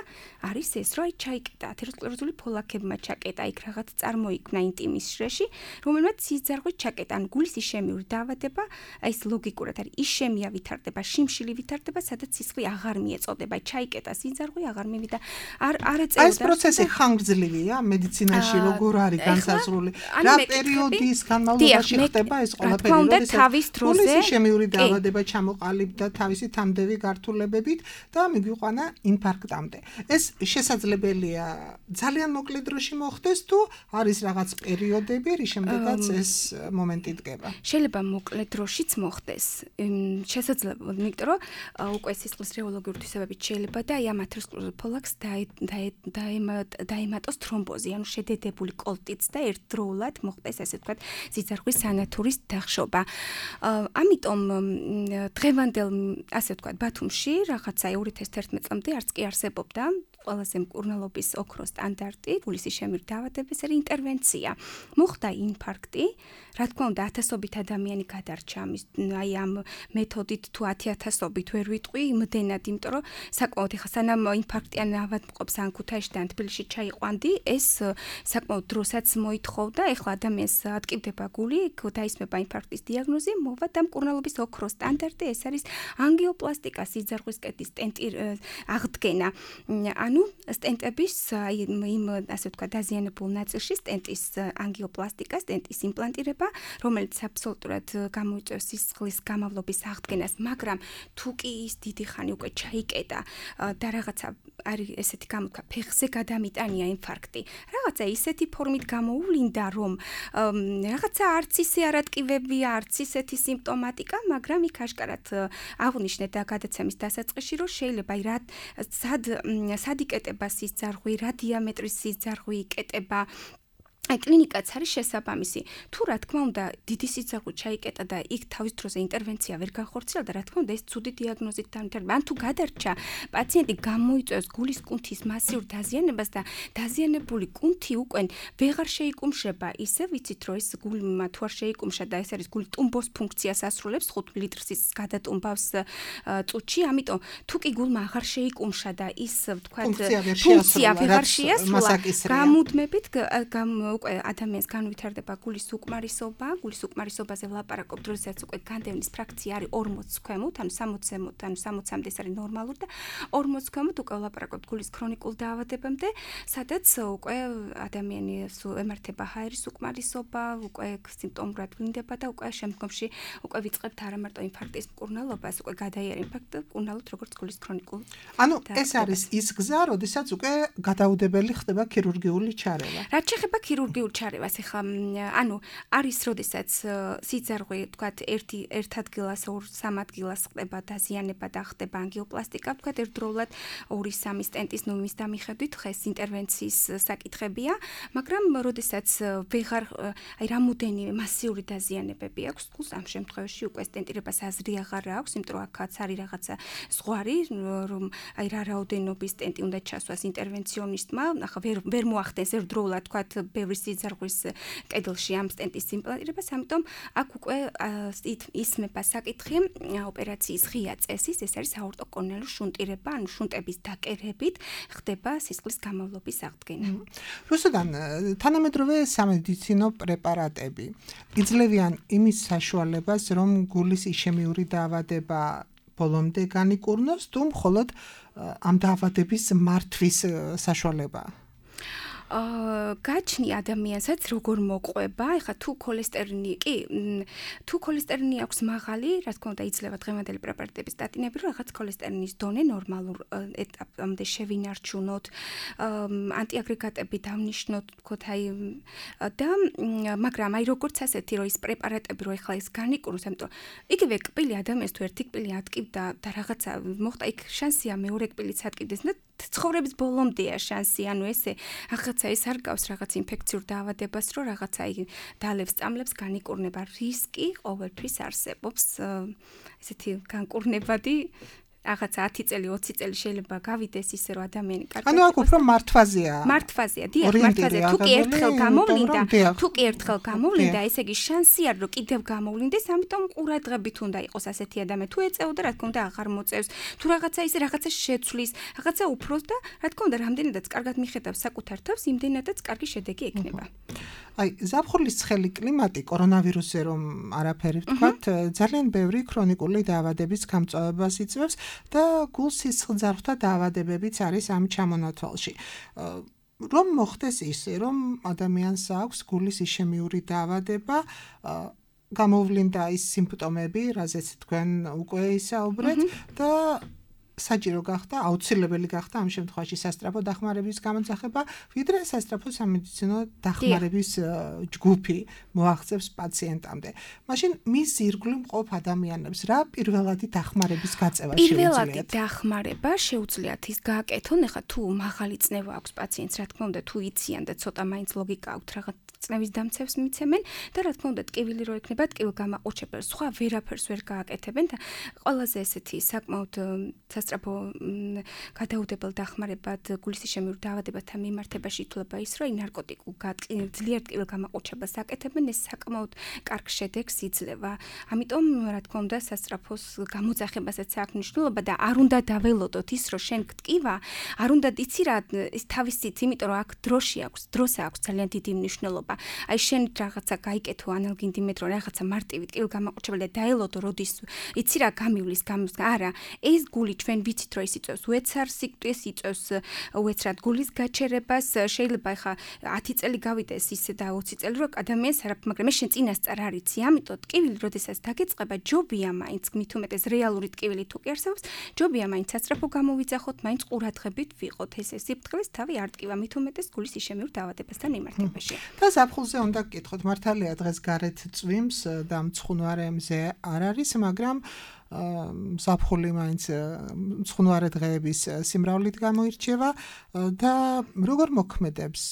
არის ეს, რომ აი ჩაიკეტა, ათეროსკლეროზული ფოლაკებმა ჩაკეტა, იქ რაღაც წარმოიქმნა ინტიმის შრეში, რომელმაც სიძარღვე ჩაკეტა, ან გულის იშემიური დაავადება, აი ეს ლოგიკურად არის, იშემია ვითარდება, შიმშილი ვითარდება, სადაც სისხლი აღარ მიეწოდება, ჩაიკეტა სიძარღვე, აღარ მივიდა. არ არ ეწეოდა. აი ეს პროცესი ხანგრძლივია მედიცინაში, როგორ არის განსაზღვრული? რა პერიოდის განმავლობაში ხდება ეს ყველაფერი, როდესაც გულის იშემიური დაავადება ჩამოყალიბდა თავისი თამდევი გართულებებით და მიგვიყვანა ინფარქტამდე. ეს შესაძლებელია ძალიან მოკლე დროში მოხდეს თუ არის რაღაც პერიოდები, რის შემდეგაც ეს მომენტი დგება. შეიძლება მოკლე დროშიც მოხდეს. შესაძლებელი, იმიტომ რომ უკვე სისხლის რეოლოგიური თვისებებით შეიძლება და აი ამ ათეროსკლეროზულ ფოლაკს დაემატოს თრომბოზი, ანუ შედედებული კოლტიც და ერთდროულად მოხდეს ესე ვთქვათ სიძარღვის სანათურის დახშობა. ამიტომ დღევანდელ ასე ვთქვათ ბათუმში რაღაცა ორი ათას თერთმეტ წლამდე არც კი არსებობდა ყველაზე მკურნალობის ოქროს სტანდარტი, გულის იშემიური დაავადების ინტერვენცია. მოხდა ინფარქტი, რა თქმა უნდა, ათასობით ადამიანი გადარჩა ამის აი ამ მეთოდით თუ ათი ათასობით ვერ ვიტყვი იმდენად, იმიტომ რომ საკმაოდ ეხა სანამ ინფარქტიან ავადმყოფს ან ქუთაისში და თბილისში ჩაიყვანდი, ეს საკმაოდ დროსაც მოითხოვდა, ეხლა ადამიანს ატკივდება გული, დაისმება ინფარქტის დიაგნოზი, მოვა და მკურნალობის ოქროს სტანდარტი, ეს არის ანგიოპლასტიკა, სიძარღვის კედლის სტენტი აღდგენა. ანუ სტენტების იმ ასე ვთქვათ დაზიანებულ ნაწილში სტენტის ანგიოპლასტიკა, სტენტის იმპლანტირება, რომელიც აბსოლუტურად გამოიწვევს სისხლის გამავლობის აღდგენას, მაგრამ თუ კი ის დიდი ხანი უკვე ჩაიკეტა და რაღაცა არის ესეთი გამოთქვა, ფეხზე გადამიტანია ინფარქტი. რაღაცა ისეთი ფორმით გამოუვლინდა, რომ რაღაცა არც ისე არატკივებია, არც ისეთი სიმპტომატიკა, მაგრამ იქ აშკარად აღნიშნეთ და გადაცემის დასაწყისში, რომ შეიძლება აი რა სად სად იკეტება სიძარღვი, რა დიამეტრის სიძარღვი იკეტება. აი კლინიკაც არის შესაბამისი. თუ რა თქმა უნდა, დიდი სიძარღვი ჩაიკეტა და იქ თავის დროზე ინტერვენცია ვერ განხორციელდა, რა თქმა უნდა, ეს ცუდი დიაგნოზით დამთავრდა. ან თუ გადარჩა, პაციენტი გამოიწვევს გულის კუნთის მასიურ დაზიანებას და დაზიანებული კუნთი უკვე ვეღარ შეიკუმშება, ისე ვიცით, რომ ეს გულმა თუ არ შეიკუმშა და ეს არის გული ტუმბოს ფუნქციას ასრულებს, ხუთ ლიტრს გადატუმბავს წუთში, ამიტომ თუ კი გულმა აღარ შეიკუმშა და ის ვთქვათ ფუნქცია ვეღარ შეასრულა, გამუდმებით უკვე ადამიანს განვითარდება გულის უკმარისობა, გულის უკმარისობაზე ვლაპარაკობთ, როდესაც უკვე განდევნის ფრაქცია არის ორმოცს ქვემოთ, ანუ სამოცამდე, ანუ სამოცამდე ეს არის ნორმალური და ორმოცს ქვემოთ უკვე ვლაპარაკობთ გულის ქრონიკულ დაავადებამდე, სადაც უკვე ადამიანი ემართება ჰაერის უკმარისობა, უკვე სიმპტომურად ვლინდება და უკვე შემდგომში უკვე ვიწყებთ არა მარტო ინფარქტის მკურნალობას, უკვე გადაიარა ინფარქტი მკურნალობთ როგორც გულის ქრონიკულ. ანუ ეს არის ის გზა, როდესაც უკვე გადაუდებელი ხდება ქირურგიული ჩარევა. რაც შეეხება ქირურგიულ ჩარევას, ეხლა ანუ არის როდესაც სიძარღვე, თქვათ, ერთი ერთ ადგილას, ორ სამ ადგილას ხდება დაზიანება და ხდება ანგიოპლასტიკა, თქვათ, ერთდროულად ორი სამი სტენტის ნორმის დამიხედვით ხეს ინტერვენციის საკითხებია, მაგრამ როდესაც ვეღარ აი რამოდენიმე მასიური დაზიანებები აქვს, გულს ამ შემთხვევაში უკვე სტენტირებას აზრი აღარ აქვს, იმიტომ რომ აქაც არის რაღაცა ზღვარი, რომ აი რა რაოდენობის სტენტი უნდა ჩასვას ინტერვენციონისტმა, ახლა ვერ ვერ მოახდენს ერთდროულად, თქვათ, ბევრი სიძარღვის კედელში ამ სტენტის იმპლანტირებას, ამიტომ აქ უკვე ისმება საკითხი ოპერაციის ღია წესის, ეს არის აორტოკორნეალური შუნტირება, ანუ შუნტების დაკერებით ხდება სისხლის გამავლობის აღდგენა. რუსუდან თანამედროვე სამედიცინო პრეპარატები იძლევიან იმის საშუალებას, რომ გულის იშემიური დაავადება ბოლომდე განიკურნოს, თუ მხოლოდ ამ დაავადების მართვის საშუალებაა? გაჩნი ადამიანსაც როგორ მოყვება, ეხლა თუ ქოლესტერინი, კი, თუ ქოლესტერინი აქვს მაღალი, რა თქმა უნდა იძლევა დღევანდელი პრეპარატების სტატინები, რომ რაღაც ქოლესტერინის დონე ნორმალურ ეტაპამდე შევინარჩუნოთ, ანტიაგრეგატები დავნიშნოთ, თქოთ, აი და მაგრამ აი როგორც ასეთი, რომ ის პრეპარატები, რომ ეხლა ის განიკურნოს, ამიტომ იგივე კბილი ადამიანს თუ ერთი კბილი ატკივდა და რაღაცა მოხდა, იქ შანსია მეორე კბილიც ატკივდეს და ცხოვრების ბოლომდეა შანსი, ანუ ესე რაღაცა ეს არ გავს რაღაც ინფექციურ დაავადებას, რომ რაღაცა იგი დალევს წამლებს განიკურნება, რისკი ყოველთვის არსებობს ესეთი განკურნებადი რაღაცა ათი წელი, ოცი წელი შეიძლება გავიდეს ისე რომ ადამიანი კარგად. ანუ აქ უფრო მართვაზეა. მართვაზეა, დიახ, მართვაზეა. თუ კი ერთხელ გამოვლინდა, თუ კი ერთხელ გამოვლინდა, ესე იგი შანსი არ რომ კიდევ გამოვლინდეს, ამიტომ ყურადღებით უნდა იყოს ასეთი ადამიანი. თუ ეწეოდა, რა თქმა უნდა, აღარ მოწევს. თუ რაღაცა ისე რაღაცა შეცვლის, რაღაცა უფროს და რა თქმა უნდა, რამდენადაც კარგად მიხედავს საკუთარ თავს, იმდენადაც კარგი შედეგი ექნება. აი, ზაფხულის ცხელი კლიმატი კორონავირუსზე რომ არაფერი ვთქვათ, ძალიან ბევრი ქრონიკული დაავადების გამწვავებას იწვევს და გულ-სისხლძარღვთა დაავადებებიც არის ამ ჩამონათვალში. რომ მოხდეს ისე, რომ ადამიანს აქვს გულის იშემიური დაავადება, გამოვლინდა ის სიმპტომები, რაზეც თქვენ უკვე ისაუბრეთ და საჭირო გახდა, აუცილებელი გახდა ამ შემთხვევაში სასწრაფო დახმარების გამოძახება, ვიდრე სასწრაფო სამედიცინო დახმარების ჯგუფი მოაღწევს პაციენტამდე. მაშინ მის ირგვლივ მყოფ ადამიანებს რა პირველადი დახმარების გაწევა შეუძლიათ? პირველადი დახმარება შეუძლიათ ის გააკეთონ, ეხლა თუ მაღალი წნევა აქვს პაციენტს, რა თქმა უნდა, თუ იციან და ცოტა მაინც ლოგიკა აქვთ რაღაც წნევის დამცევს მიცემენ და რა თქმა უნდა ტკივილი რო ექნება ტკივილგამაყუჩებელს, სხვა ვერაფერს ვერ გააკეთებენ და ყველაზე ესეთი საკმაოდ სასწრაფო გადაუდებელ დახმარებად გულის იშემიურ დაავადებათა მიმართებაში ითვლება ის, რომ ნარკოტიკულ ძლიერ ტკივილგამაყუჩებას აკეთებენ, ეს საკმაოდ კარგ შედეგს იძლევა. ამიტომ რა თქმა უნდა სასწრაფოს გამოძახებასაც აქვს მნიშვნელობა და არ უნდა დაველოდოთ ის, რომ შენ გტკივა, არ უნდა იცი რა ის თავისით, იმიტომ რომ აქ დროში აქვს, დროსაც აქვს ძალიან დიდი მნიშვნელობა. აი შენ რაღაცა გაიკეთო ანალგინდიმეტრო, რაღაცა მარტივი ტკივილგამაყუჩებელი და დაელოდო, როდის იცი რა გამივლის, გამის არა, ეს გული ჩვენ ვიცით რომ ის იწევს უეცარ სიკვდილს, იწევს უეცრად გულის გაჩერებას, შეიძლება ახლა ათი წელი გავიდეს ისე და ოცი წელი რო ადამიანს არაფერ, მაგრამ ეს შენ წინასწარ არ იცი, ამიტომ ტკივილი როდესაც დაგეწყება, ჯობია მაინც მით უმეტეს რეალური ტკივილი თუ კი არსებობს, ჯობია მაინც სასწრაფო გამოვიძახოთ, მაინც ყურადღებით ვიყოთ, ეს სიფრთხილეს თავი არ ტკივა, მით უმეტეს გულის იშემიურ დაავადებასთან მიმართებაში. და ზაფხულზე უნდა გკითხოთ, მართალია დღეს გარეთ წვიმს და მცხუნვარემზე არ არის, მაგრამ ზაფხული მაინც მცხუნვარე დღეების სიმრავლით გამოირჩევა და როგორ მოქმედებს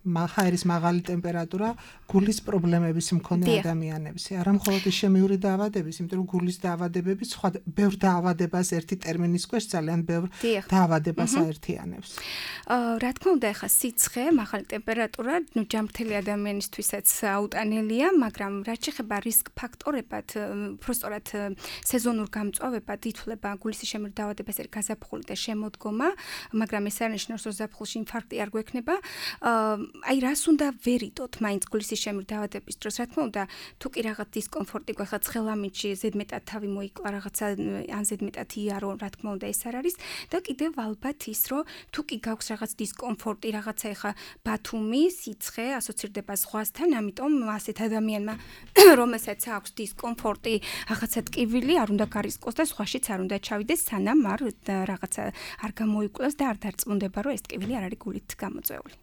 ჰაერის მაღალი ტემპერატურა გულის პრობლემების მქონე ადამიანებს. არა მხოლოდ იშემიური დაავადების, იმიტომ რომ გულის დაავადებები სხვა ბევრ დაავადებას ერთი ტერმინის ქვეშ ძალიან ბევრ დაავადებას აერთიანებს. რა თქმა უნდა, ახლა სიცხე, მაღალი ტემპერატურა, ნუ ჯანმრთელი ადამიანისთვისაც აუტანელია, მაგრამ რაც შეეხება რისკ ფაქტორებად, უბრალოდ სეზონურ გამწვავებად ითვლება გულის იშემიური დაავადებას ერთ გაზაფხული და შემოდგომა, მაგრამ ეს არ ნიშნავს, რომ ზაფხულში ინფარქტი არ გვექნება. აი რას უნდა ვერიდოთ მაინც გულის იშემიურ დაავადების დროს, რა თქმა უნდა, თუ კი რაღაც დისკომფორტი გვეხა ცხელამიდში, ზედმეტად თავი მოიკლა, რაღაცა ან ზედმეტად იარო, რა თქმა უნდა, ეს არ არის და კიდევ ალბათ ის, რომ თუ კი გაქვს რაღაც დისკომფორტი, რაღაცა ეხა ბათუმი, სიცხე ასოცირდება ზღვასთან, ამიტომ ასეთ ადამიანმა, რომელსაც აქვს დისკომფორტი, რაღაცა ტკივილი, არ უნდა გარისკოს და ზღვაშიც არ უნდა ჩავიდეს, სანამ არ რაღაცა არ გამოიკვლიოს და არ დარწმუნდება, რომ ეს ტკივილი არ არის გულით გამოწვეული.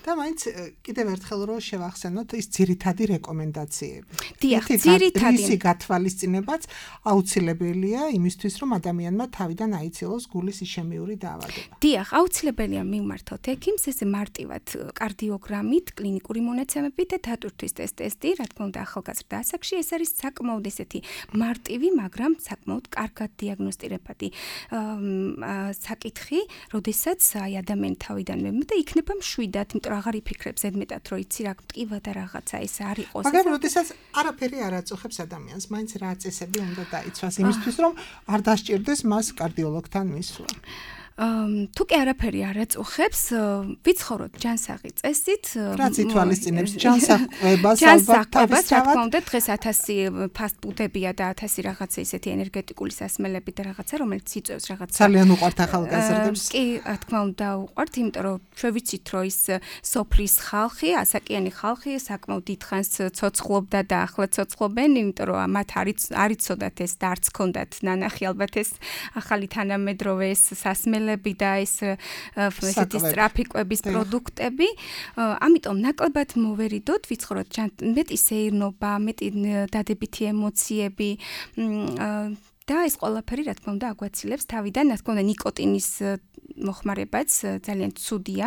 და მაინც კიდევ ერთხელ რო შევახსენოთ ის ძირითადი რეკომენდაციები. დიახ, ძირითადი ისი გათვალისწინებაც აუცილებელია იმისთვის, რომ ადამიანმა თავიდან აიცილოს გულის იშემიური დაავადება. დიახ, აუცილებელია მივმართოთ ექიმს, ესე მარტივად კარდიოგრამით, კლინიკური მონაცემებით და დატვირთვის ტესტი, რა თქმა უნდა, ახალგაზრდა ასაკში ეს არის საკმაოდ ესეთი მარტივი, მაგრამ საკმაოდ კარგად დიაგნოსტირებადი საკითხი, როდესაც აი ადამიანი თავიდან მემ და იქნება მშვიდად, იმიტომ რომ აღარ იფიქრებს ზედმეტად, რომ იცი რა გტკივა და რაღაცა ეს არ იყოს. მაგრამ როდესაც არაფერი არ აწუხებს ადამიანს, მაინც რა წესები უნდა დაიცვას იმისთვის, რომ არ დასჭირდეს მას კარდიოლოგთან მისვლა. თუ კი არაფერი არ აწუხებს, ვიცხოვროთ ჯანსაღი წესით. რაც ითვალისწინებს ჯანსაღებას, ალბათ თავის რა თქმა უნდა, დღეს ათასი ფასტფუდებია და ათასი რაღაცა ისეთი ენერგეტიკული სასმელები და რაღაცა, რომელიც იწევს რაღაცა. ძალიან უყვართ ახალგაზრდებს. კი, რა თქმა უნდა, უყვართ, იმიტომ რომ ჩვენ ვიცით, რომ ის სოფლის ხალხი, ასაკიანი ხალხი საკმაოდ დიდხანს ცოცხლობდა და ახლა ცოცხლობენ, იმიტომ რომ მათ არ იცოდათ ეს და არც ჰქონდათ ნანახი ალბათ ეს ახალი თანამედროვე ეს სასმელი და ეს ესეთი სტრაფიკვების პროდუქტები, ამიტომ ნაკლებად მოვერიდოთ, ვიცხოვროთ მეტი სეირნობა, მეტი დადებითი ემოციები და ეს ყველაფერი რა თქმა უნდა აგვაცილებს თავიდან, რა თქმა უნდა ნიკოტინის მოხმარებაც ძალიან ცუდია.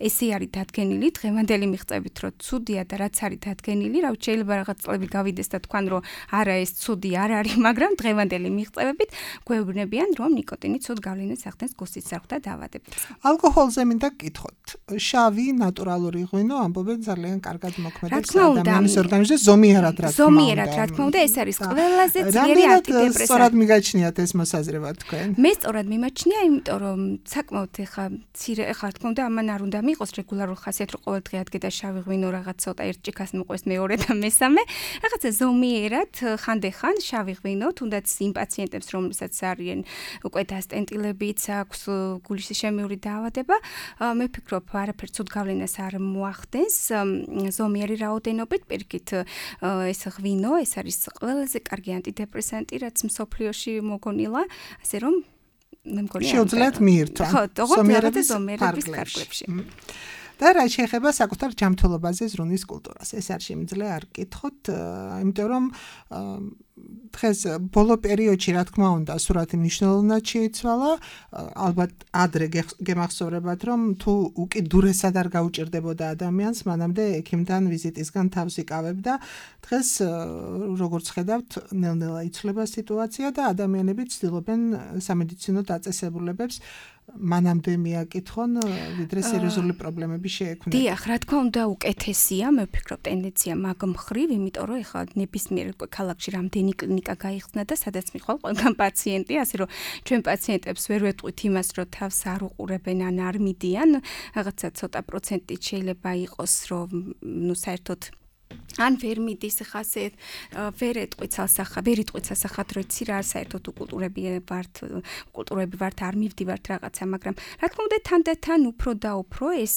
ესე არის დადგენილი დღევანდელი მიღწევით, რომ ცუდია და რაც არის დადგენილი, რა ვიცი, შეიძლება რაღაც წლები გავიდეს და თქვან, რომ არა ეს ცუდი არ არის, მაგრამ დღევანდელი მიღწევებით გვეუბნებიან, რომ ნიკოტინი ცუდ გავლენას ახდენს გულსიცრუხ და დაავადებებს. ალკოჰოლზე მინდა გკითხოთ. შავი ნატურალური ღვინო ამბობენ ძალიან კარგად მოქმედებს ადამიანის ორგანიზმზე, ზომიერად რა თქმა უნდა. ზომიერად რა თქმა უნდა, ეს არის ყველაზე ძლიერი ანტიდეპრესანტი. სწორად მიგაჩნიათ ეს მოსაზრება თქვენ? მე სწორად მიმაჩნია, იმიტომ რომ საკმაოდ ეხა მცირე ეხა რა თქმა უნდა ამან არ უნდა მიიღოს რეგულარულ ხასიათს, რომ ყოველდღე ადგე და შავი ღვინო რაღაც ცოტა ერთ ჭიქას მოყვეს მეორე და მესამე. რაღაცა ზომიერად ხანდახან შავი ღვინო, თუნდაც იმ პაციენტებს, რომლებსაც არიან უკვე დასტენტილებიც აქვს გულისშემიური დაავადება, მე ვფიქრობ, არაფერ ცუდ გავლენას არ მოახდენს ზომიერი რაოდენობით, პირიქით ეს ღვინო, ეს არის ყველაზე კარგი ანტიდეპრესანტი, რაც მსოფლიოში მოგონილა, ასე რომ მე მგონია შეუძლიათ მიირთვა ზომიერების ფარგლებში. და რა შეეხება საკუთარ ჯანმრთელობაზე ზრუნვის კულტურას, ეს არ შემიძლია არ გკითხოთ, იმიტომ რომ დღეს ბოლო პერიოდში რა თქმა უნდა სურათი მნიშვნელოვნად შეიცვალა, ალბათ ადრე გემახსოვრებათ, რომ თუ უკიდურესად არ გაუჭირდებოდა ადამიანს, მანამდე ექიმთან ვიზიტისგან თავს იკავებდა. დღეს როგორც ხედავთ, ნელ-ნელა იცვლება სიტუაცია და ადამიანები ცდილობენ სამედიცინო დაწესებულებებს მანამდე მიაკითხონ, ვიდრე სერიოზული პრობლემები შეექმნათ. დიახ, რა თქმა უნდა, უკეთესია, მე ვფიქრობ, ტენდენცია მაგ მხრივ, იმიტომ რომ ეხლა ნებისმიერ ქალაქში რამდენი კლინიკა გაიხსნა და სადაც მიხვალ ყველგან პაციენტი, ასე რომ ჩვენ პაციენტებს ვერ ვეტყვით იმას, რომ თავს არ უყურებენ ან არ მიდიან, რაღაცა ცოტა პროცენტით შეიძლება იყოს, რომ ნუ საერთოდ ან ვერ მიდის ხა ასე ვერ ეტყვით სასახა, ვერ იტყვით სასახად, რომ იცი რა საერთოდ უკულტურები ვართ, უკულტურები ვართ, არ მივდივართ რაღაცა, მაგრამ რა თქმა უნდა თანდათან უფრო და უფრო ეს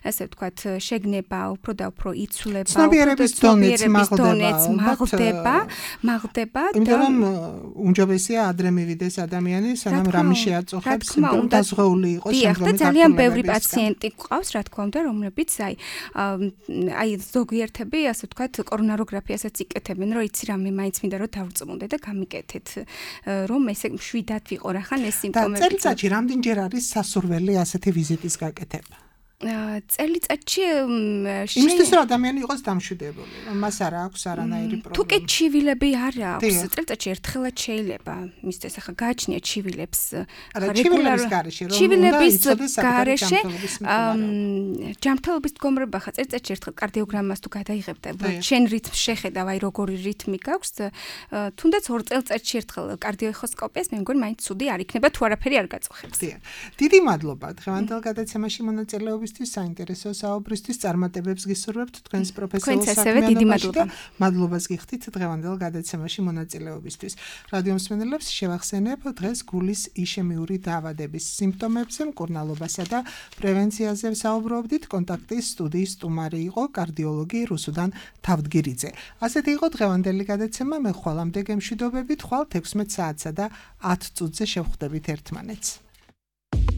ასე ვთქვათ შეგნება უფრო და უფრო იცვლება, ცნობიერების დონეც მაღლდება, მაღლდება და იმიტომ რომ უმჯობესია ადრე მივიდეს ადამიანი, სანამ რამე შეაწუხებს, რომ დაზღვეული იყოს შემდგომი. დიახ, და ძალიან ბევრი პაციენტი გვყავს, რა თქმა უნდა, რომლებიც აი აი ზოგიერთები ასე ვთქვათ, კორონაროგრაფიასაც იკეთებენ, რომ იცი რა, მე მაინც მინდა რომ დავწმუნდე და გამიკეთეთ, რომ ესე მშვიდად ვიყო რა ხან ეს სიმპტომები. და წელიწადში რამდენჯერ არის სასურველი ასეთი ვიზიტის გაკეთება? წელიწადში იმისთვის რომ ადამიანი იყოს დამშვიდებული, რომ მას არ აქვს არანაირი პრობლემა. თუ კი ჩივილები არ აქვს, წელიწადში ერთხელაც შეიძლება მისდეს ახლა გააჩნია ჩივილებს რეგულარულ გარეშე, რომ ჩივილების გარეშე ჯანმრთელობის მდგომარეობა ხა წელიწადში ერთხელ კარდიოგრამას თუ გადაიღებ და შენ რითმს შეხედავ, აი როგორი რითმი გაქვს, თუნდაც ორ წელიწადში ერთხელ კარდიოეხოსკოპიას, მე მგონი მაინც ცუდი არ იქნება თუ არაფერი არ გაწუხებს. დიდი მადლობა დღევანდელ გადაცემაში მონაწილეობის საინტერესო საუბრისთვის, წარმატებებს გისურვებთ თქვენს პროფესიულ საქმიანობაში და მადლობას გიხდით დღევანდელ გადაცემაში მონაწილეობისთვის. რადიო მსმენელებს შევახსენებ, დღეს გულის იშემიური დაავადების სიმპტომებზე, მკურნალობასა და პრევენციაზე საუბრობდით. კონტაქტის სტუდიის სტუმარი იყო კარდიოლოგი რუსუდან თავდგირიძე. ასეთი იყო დღევანდელი გადაცემა, მე ხვალამდე გემშვიდობებით, ხვალ თექვსმეტ საათსა და ათ წუთზე შევხვდებით ერთმანეთს.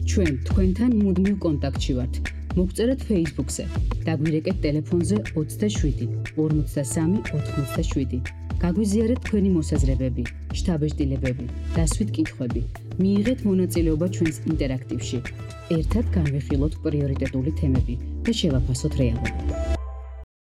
ჩვენ თქვენთან მუდმივ კონტაქტში ვართ. მოგწერეთ Facebook-ზე, დაგვირეკეთ ტელეფონზე ოცდაშვიდი ორმოცდასამი ოთხმოცდაშვიდი. გაგვიზიარეთ თქვენი მოსაზრებები, შთაბეჭდილებები, დასვით კითხვები. მიიღეთ მონაწილეობა ჩვენს ინტერაქტივში. ერთად განვიხილოთ პრიორიტეტული თემები და შევაფასოთ რეალობა.